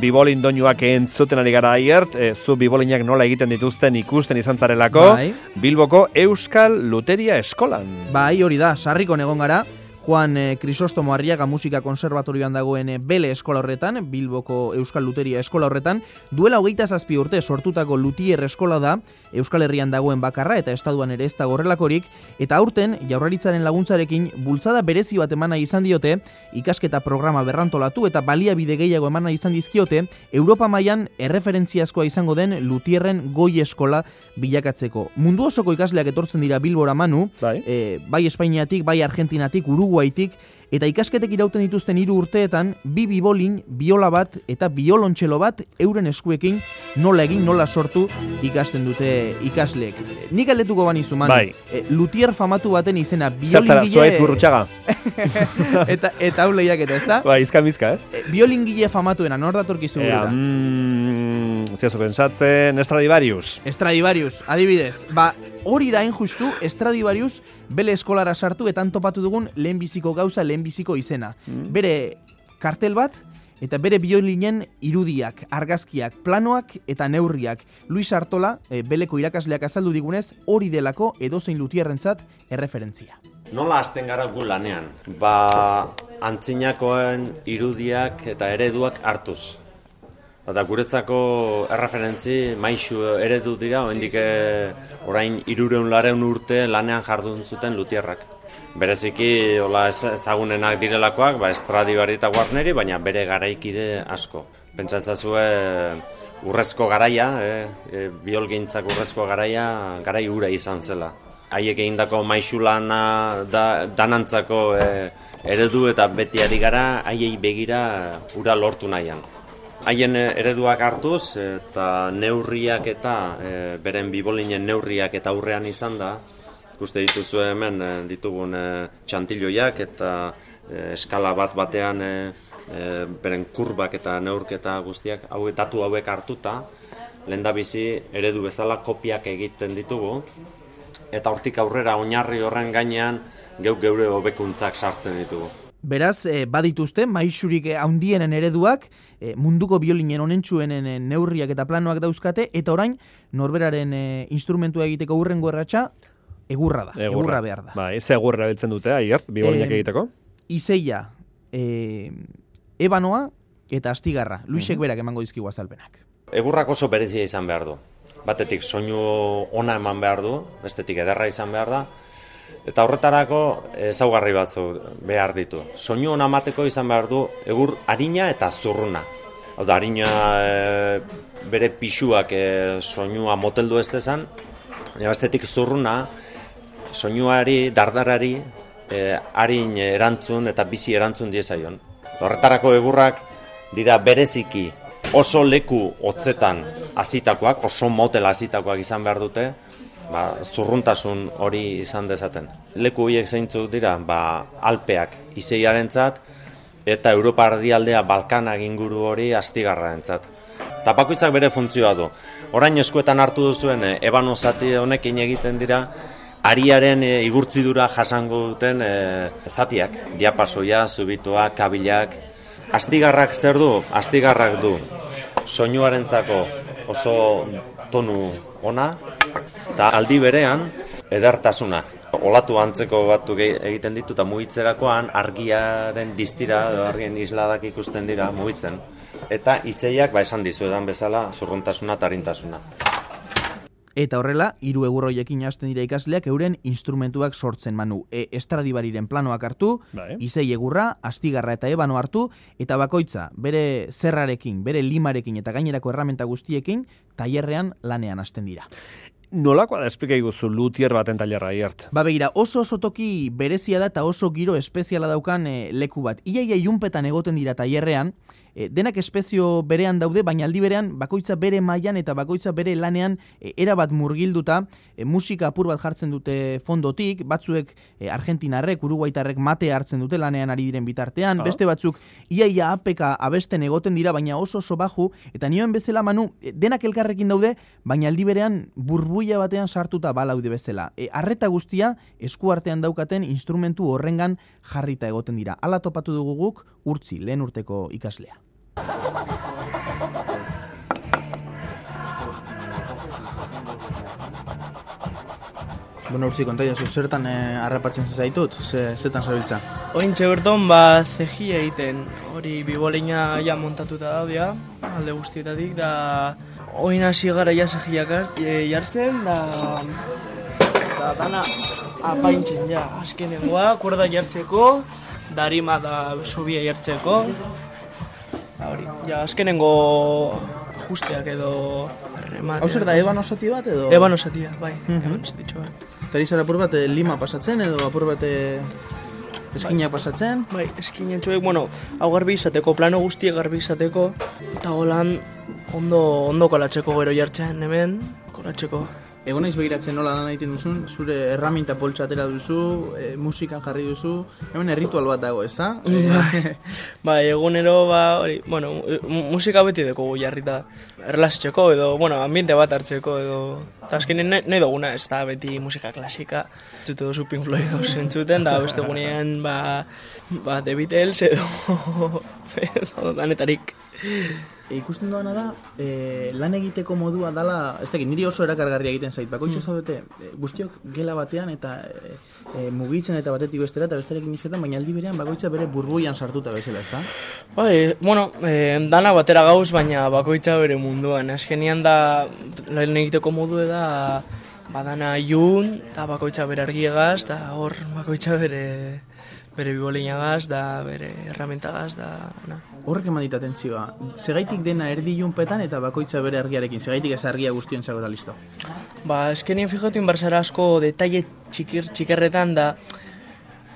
Bibolin doinuak entzuten ari gara Aiert, zu bibolinak nola egiten dituzten ikusten izan zarelako, Bai. Bilboko Euskal Luteria Eskolan. Bai, hori da, sarrikon egon gara, Juan Crisostomo Arriaga Musika Konserbatorioan dagoen Bele eskola horretan, Bilboko Euskal Luteria eskola horretan, duela 27 urte sortutako Lutier eskola da, Euskal Herrian dagoen bakarra eta estatuan ere ez da horrelakorik, eta aurten Jaurlaritzaren laguntzarekin bultzada berezi bat emana izan diote, ikasketa programa berrantolatu eta baliabide gehiago emana izan dizkiote, Europa mailan erreferentziazkoa izango den Lutierren goi eskola bilakatzeko. Mundu osoko ikasleak etortzen dira Bilbora Manu, bai Espainiatik, bai Argentinatik, Uruguaitik, eta ikasketek irauten dituzten 3 urteetan, 2 bibolin, biola bat eta biolontxelo bat euren eskuekin nola egin, nola sortu ikasten dute ikasleek. Nik galdetuko banizu, Manu. Bai. Lutier famatu baten izena biolingile... Zertara, zuaitz Gurrutxaga. eta hau lehiaketa, ezta? Bai, izka-mizka, ez? Biolingile famatuena, nor datorkizu burura? Ziazu pensatzen, Stradivarius, adibidez. Hori da justu, Stradivarius Bele eskolara sartu eta topatu dugun lehenbiziko gauza, lehenbiziko izena. Bere kartel bat eta bere biolinen irudiak, argazkiak, planoak eta neurriak. Luis Artola, Beleko irakasleak azaldu digunez, hori delako edozein lutierrentzat erreferentzia. Nola hasten gara gu lanean? Antzinakoen irudiak eta ereduak hartuz. Eta guretzako erreferentzi maisu eredu dira, oraindik orain 300 urte lanean jardun zuten lutierrak. Bereziki ezagunenak direlakoak, Stradivari eta Guarneri, baina bere garaikide asko. Pentsatzazue urrezko garaia, biolgintzak urrezko garaia, garai ura izan zela. Haiek egindako maisu lana danantzako eredu eta beti ari gara, haiei begira ura lortu nahian. Haien ereduak hartuz eta neurriak eta beren bibolinen neurriak eta aurrean izan da, ikuste dituzu hemen ditugun txantiloiak eta eskala batean beren kurbak eta neurketa guztiak datu hauek hartuta, lehendabizi eredu bezala kopiak egiten ditugu, eta hortik aurrera oinarri horren gainean geure hobekuntzak sartzen ditugu. Beraz, badituzte, maisurik handienen ereduak, munduko biolinen onentsuenen neurriak eta planoak dauzkate, eta orain, norberaren instrumentua egiteko hurrengo erratxa, egurra da, egurra behar da. Ez egurra beltzen dute, Aiert, bibolinak egiteko? Izeia, ebanoa eta astigarra, Luisek berak emango dizkigu azalpenak. Egurrak oso berezia izan behar du. Batetik soinu ona eman behar du, bestetik ederra izan behar da, eta horretarako ezaugarri batzu behar ditu. Soinu ona emateko izan behar du egur arina eta zurruna. Hau da, arina bere pisuak soinua moteldu ez dezan, bestetik zurruna soinuari, dardarari arin erantzun eta bizi erantzun diezaion. Horretarako egurrak dira bereziki oso leku hotzetan hasitakoak, oso motel hasitakoak izan behar dute, zurruntasun hori izan dezaten. Leku horiek zeintzuk dira, Alpeak Izeiarentzat eta Europa erdialdea Balkanak inguru hori Astigarrarentzat. Eta bakoitzak bere funtzioa du. Orain eskuetan hartu duzuen ebano zati honekin egiten dira ariaren igurtzidura jasango duten zatiak, diapasoia, zubitoak, kabilak. Astigarrak zer du? Astigarrak du soinuarentzako oso tonu ona, eta aldi berean edertasuna. Olatu antzeko batzuk egiten ditu eta mugitzerakoan argiaren distira, argien isladak ikusten dira mugitzen. Eta izeiak esan dizuedan bezala zurruntasuna eta arintasuna. Eta horrela, 3 egur horiekin hasten dira ikasleak euren instrumentuak sortzen, Manu. Stradivariren planoak hartu, izei egurra, astigarra eta ebano hartu, eta bakoitza bere zerrarekin, bere limarekin eta gainerako erramenta guztiekin, tailerrean lanean hasten dira. Nolakoa da esplika iguzu lutier baten tailerra, Aiert? Begira, oso toki berezia da eta oso giro espeziala daukan leku bat. Iaia ilunpetan egoten dira tailerrean, denak espezio berean daude, baina aldi berean bakoitza bere mailan eta bakoitza bere lanean erabat murgilduta, musika apur bat jartzen dute fondotik, batzuek argentinarrek, uruguaitarrek mate hartzen dute lanean ari diren bitartean, beste batzuk iaia apeka abesten egoten dira, baina oso baju, eta nioen bezala, Manu, denak elkarrekin daude, baina aldi berean burbuia batean sartuta balaude bezala. Arreta guztia eskuartean daukaten instrumentu horrengan jarrita egoten dira. Hala topatu dugu guk Urtzi, lehen urteko ikaslea. Bueno, urtzi, kontaia zu, zertan harrapatzen zaitut? Zetan zabiltza? Ointxe berton, zegia egiten, hori bibolina ja montatuta daudea, alde guztietatik, da oin hasi gara ja zegiak jartzen, da dana apaintzen ja, azkenengoa, kuerda jartzeko, darima da subia jartzeko, hori, ja, azkenengo ajusteak edo remate. Hau zer da, eban osati bat edo? Eban osatia, bai, eban osatitxo bat. Eta izan apur bat lima pasatzen edo apur bat eskinak pasatzen? Bai, eskinen txoek, bueno, hau garbi izateko, plano guztiek garbi izateko, eta holan ondo kolatzeko gero jartzen hemen, kolatzeko. Egon naiz begiratzen nola lan egiten duzun, zure erraminta poltsa atera duzu, musikan jarri duzu, hemen erritual bat dago, ezta? Bai, egunero, hori, bueno, musika beti deko jarrita erlazitzeko edo, bueno, ambiente bat hartzeko edo, eta azkenean nahi duguna, ez da, beti musika klasika, entzute duzu Pink Floyd entzuten, da beste egunean, The Beatles edo danetarik. Ikusten doana da, lan egiteko modua dala, ez dakit, niri oso erakargarria egiten zait, bakoitza zaudete, guztiok gela batean eta mugitzen eta batetik bestera eta besterekin izetan, baina aldi berean bakoitza bere burbuian sartuta bezala, ezta? Bai, bueno, dana batera gauz, baina bakoitza bere munduan, azkenean da, lan egiteko modu da, badana ilun, eta bakoitza bere argiegaz, eta hor bakoitza bere bibolinagaz, da bere erramentagaz, da... Horrek eman dit atentzioa, segaitik dena erdi ilunpetan eta bakoitza bere argiarekin, segaitik ez argia guztiontzako da listo? Eskenien fijatu inbarzara asko detaile txikerretan da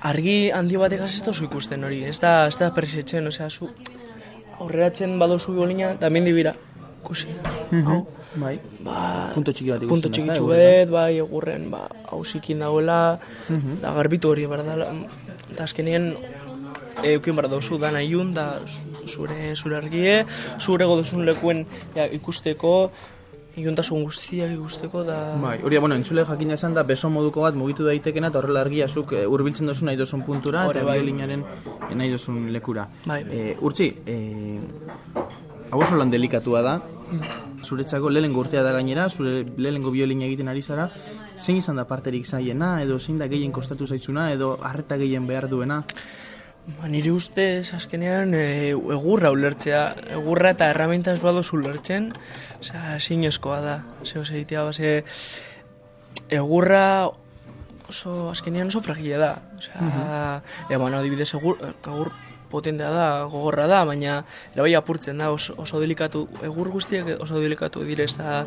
argi handi batek ez duzu ikusten hori, ez da persetzen, osea, zu aurreratzen badozu bibolina, eta hemen dibira, ikusi, hau. Bai, punto txiki bat ikusten. Punto txikitzu bet, bai, egurren, hausikin dagoela, da garbitu hori, berdala, eta azkenien eukin behar dauzu dana ilun, da zure argie, zure goduzun lekuen ikusteko, iluntasun guztiak ikusteko, da... Bai, hori, bueno, entzule jakin esan da, beso moduko bat mugitu daitekena, eta horrela argia zuk hurbiltzen duzu nahi duzun puntura, eta biolinaren nahi duzun lekura. Bai. Urtzi, hau oso lan delikatua da, zuretzako lehenengo urtea da gainera, zure lehenengo biolina egiten ari zara, zein izan da parterik zaiena, edo zein da gehien kostatu zaitzuna, edo harreta gehien behar duena? Nire ustez, azkenean, egurra ulertzea, egurra eta erramintaz badozu ulertzen, zinezkoa da, egitea, egurra oso, azkenean oso fragile da, adibidez, egur potentea da, gogorra da, baina erabai apurtzen da, oso delikatu, egur guztiak oso delikatu direz, da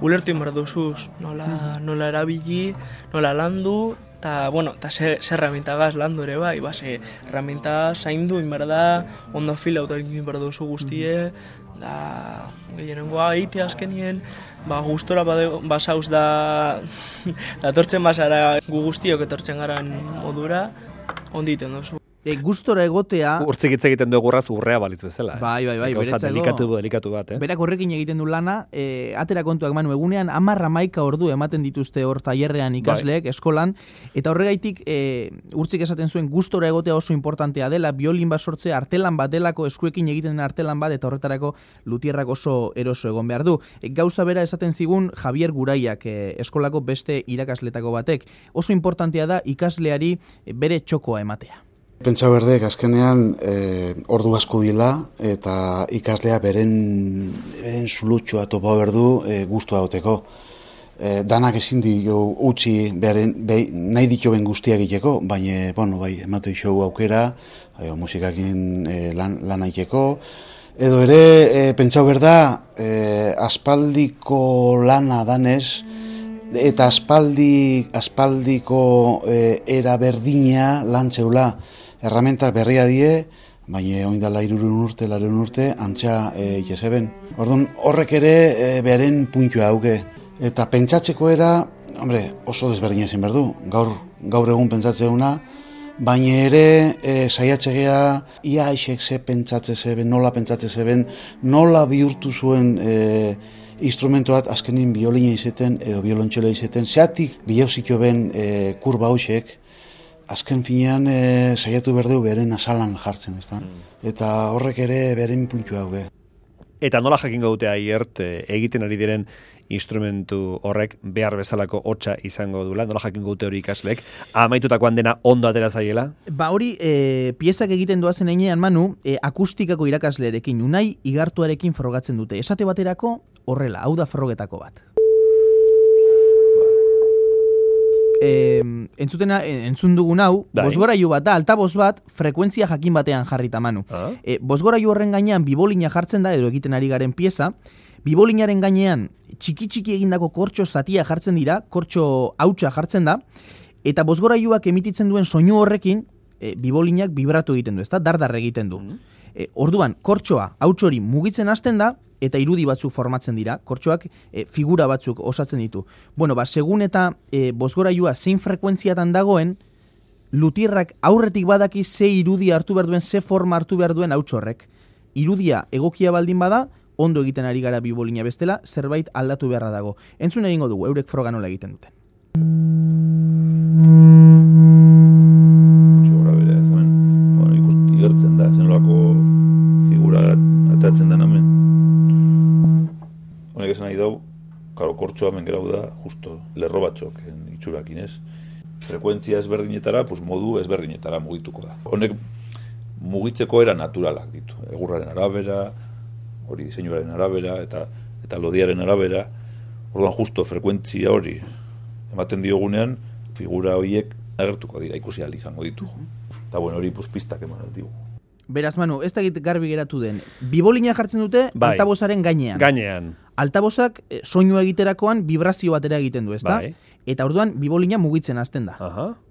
ulertu inbar duzuz, nola erabili, nola landu, eta ze herramientagaz landu ere bai, herramienta zaindu inbar da, ondo fila auto inbar duzu guztie, da gehienengoa egitea azkenien, gustora basauz da etortzen basara gu guztiok etortzen garen modura, ondi iten duzu. Gustora egotea... Urtzik hitz egiten du egurraz urrea balitz bezala. Bai, beretzako... Delikatu bat, Berak horrekin egiten du lana, atera kontuak manu egunean, 10-11 ordu ematen dituzte hor tailerrean ikasleek, eskolan, eta horregaitik urtzik esaten zuen gustora egotea oso importantea dela, biolin bat sortzea, artelan bat delako, eskuekin egiten den artelan bat, eta horretarako lutierrak oso eroso egon behar du. Gauza bera esaten zigun Javier Guraiak, eskolako beste irakasletako batek. Oso importantea da ikasleari bere txokoa ematea. Pentsa berdek azkenean ordu asko dila eta ikaslea beren zulutxoa topa berdu guztua goteko. Danak ezin dio utzi nahi ditoben guztiak egiteko, baina emate show aukera, musikakin lan egiteko. Edo ere, pentsa berda, aspaldiko lana danez, eta aspaldiko era berdina lantzeula. Erramentak berria die, baina oindala 3 urte, antxa jeseben. Orduan, horrek ere beharen puntua hauke. Eta pentsatzeko era, oso desberdina ezin behar du. Gaur egun pentsatzeuna, baina ere saiatzegea ia aixek ze pentsatze zeben, nola pentsatzen zeben, nola bihurtu zuen instrumento bat azkenin biolina izeten, edo biolontxela izeten, zeatik bilauziko ben kurba hausek, azken finean saiatu berdeu beren azalan jartzen, ezta? Eta horrek ere beren puntua hau. Eta nola jakingo dute aiert egiten ari diren instrumentu horrek behar bezalako hotsa izango dula, nola jakingo dute hori ikasleek, amaitutakoan dena ondo atera zaiela? Hori, piezak egiten doazen heinean, Manu, akustikako irakaslearekin, Unai Igartuarekin frogatzen dute. Esate baterako horrela, hau da frogetako bat. Entzun dugun hau, bozgorailu bat da, altaboz bat, frekuentzia jakin batean jarrita, Manu. Bozgorailu horren gainean bibolina jartzen da, edo egiten ari garen pieza, bibolinaren gainean txiki-txiki egindako kortxo zatia jartzen dira, kortxo hautsa jartzen da, eta bozgorailuak emititzen duen soinu horrekin, bibolinak vibratu egiten du, ezta? Dardar egiten du. Orduan, kortxoa, hauts hori mugitzen hasten da, eta irudi batzuk formatzen dira, kortxoak figura batzuk osatzen ditu. Bueno, segun eta bozgorailua zein frekuentziatan dagoen, lutierrak aurretik badaki ze irudi hartu behar duen, ze forma hartu behar duen hauts horrek. Irudia egokia baldin bada, ondo egiten ari gara bibolina bestela, zerbait aldatu beharra dago. Entzun egingo dugu, eurek froga nola egiten duten. Gora bere, ikusti gertzen da, zenolako figura atatzen den hemen. Honek esan nahi dau, kortxoa hemen gerau da, justo, lerro batzok, itxurakin ez. Frekuentzia ezberdinetara, modu ezberdinetara mugituko da. Honek mugitzeko era naturalak ditu. Egurraren arabera, hori diseinuaren arabera, eta lodiaren arabera. Orduan justo frekuentzia hori ematen diogunean, figura horiek agertuko dira, ikusi ahal izango ditu. Eta hori pistak eman digu. Beraz, Manu, ez da garbi geratu den. Bibolina jartzen dute altabozaren gainean. Gainean. Altabozak soinua egiterakoan vibrazio batera egiten du, ezta? Eta orduan bibolina mugitzen hasten da.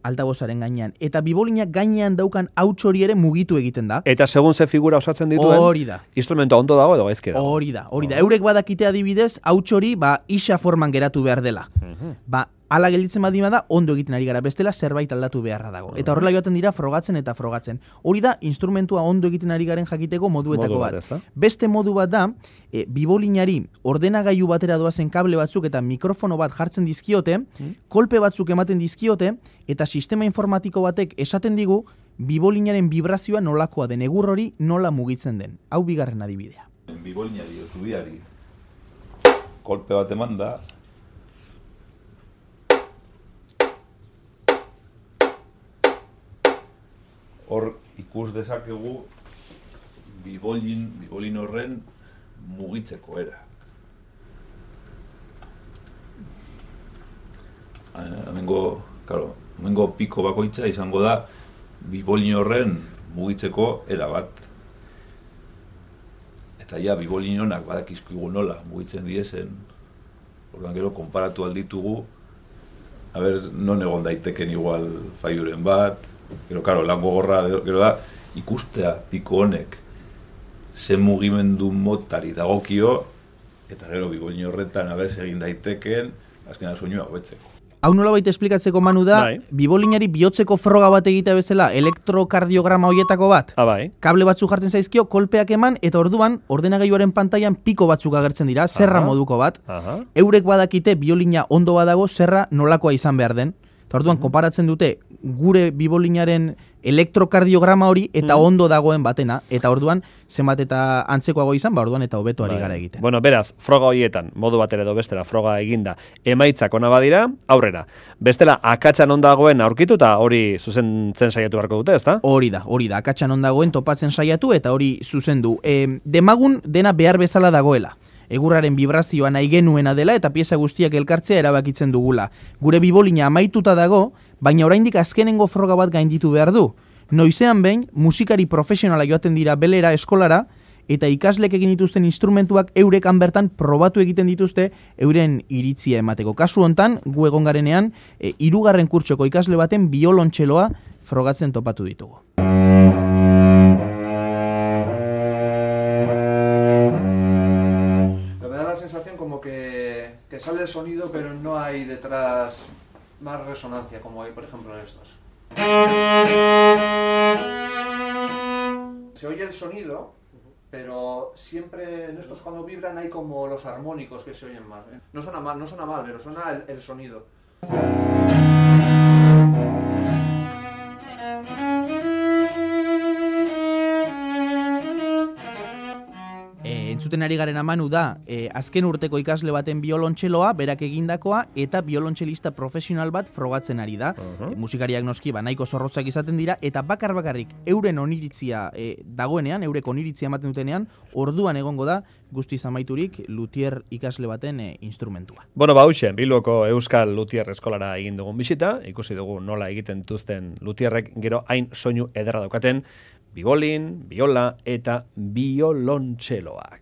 Altabozaren gainean. Eta bibolina gainean daukan hauts hori ere mugitu egiten da. Eta segun ze figura osatzen dituen, hori da. Instrumento ondo dago edo gaizki dago. Hori da. Eurek badakite adibidez, hauts hori isa forman geratu behar dela. Hala gelditzen badima da, ondo egiten ari gara, bestela zerbait aldatu beharra dago. Eta horrela joaten dira frogatzen eta frogatzen. Hori da, instrumentua ondo egiten ari garen jakiteko moduetako bat. Beste modu bat da, bibolinari ordenagailu batera doazen kable batzuk eta mikrofono bat jartzen dizkiote, kolpe batzuk ematen dizkiote, eta sistema informatiko batek esaten digu, bibolinaren vibrazioa nolakoa den, egur hori nola mugitzen den. Hau bigarren adibidea. Bibolinari, zubiari, kolpe bat eman da, hor ikus dezakegu bibolin horren mugitzeko era. Hemengo piko bakoitza izango da bibolin horren mugitzeko era bat. Eta bibolin honak badakizkigu nola mugitzen diezen, orduan gero konparatu alditugu, non egon daiteken igual faiuren bat, gero, lan gogorra, gero da, ikustea piko honek zen mugimendu motari dagokio, eta gero bibolin horretan egin daiteken, azkenan soinua hobetzeko. Hau nolabait esplikatzeko, Manu, da, bibolinari bihotzeko froga bat egitea bezala, elektrokardiograma hoietako bat. Kable batzuk jartzen zaizkio, kolpeak eman, eta orduan, ordenagailuaren pantailan piko batzuk agertzen dira, zerra moduko bat. Eurek badakite biolina ondo badago, zerra nolakoa izan behar den. Eta orduan, konparatzen dute gure bibolinaren elektrokardiograma hori eta ondo dagoen batena. Eta orduan, zenbat eta antzekoago izan, orduan eta hobeto ari gara egiten. Bueno, beraz, froga horietan, modu batera edo bestera froga eginda, emaitzak ona badira, aurrera. Bestela, akatsan ondagoen aurkitu eta hori zuzentzen saiatu beharko dute, ezta? Hori da, akatsan ondagoen topatzen saiatu eta hori zuzendu. Demagun dena behar bezala dagoela. Egurraren vibrazioa nahi genuena dela eta pieza guztiak elkartzea erabakitzen dugula. Gure bibolina amaituta dago, baina oraindik azkenengo froga bat gainditu behar du. Noizean behin, musikari profesionala joaten dira belera eskolara, eta ikaslek egin dituzten instrumentuak eurekan bertan probatu egiten dituzte euren iritzia emateko. Kasu hontan, gu egon garenean, 3. kurtsoko ikasle baten biolontxeloa frogatzen topatu ditugu. Como que sale el sonido, pero no hay detrás más resonancia, como hay, por ejemplo, en estos. Se oye el sonido, pero siempre en estos cuando vibran hay como los armónicos que se oyen más. No suena mal, pero suena el sonido. Entzuten ari garen amanu da, azken urteko ikasle baten biolontxeloa, berak egindakoa, eta biolontxelista profesional bat frogatzen ari da. Musikariak noski, nahiko zorrotzak izaten dira, eta bakarrik euren oniritzia dagoenean, eurek oniritzia ematen dutenean, orduan egongo da, guztiz amaiturik, luthier ikasle baten instrumentua. Bueno, hauxe, Bilboko Euskal Luthier Eskolara egin dugun bisita, ikusi dugu nola egiten dituzten luthierrek gero hain soinu ederra daukaten, bibolin, biola eta biolontxeloak.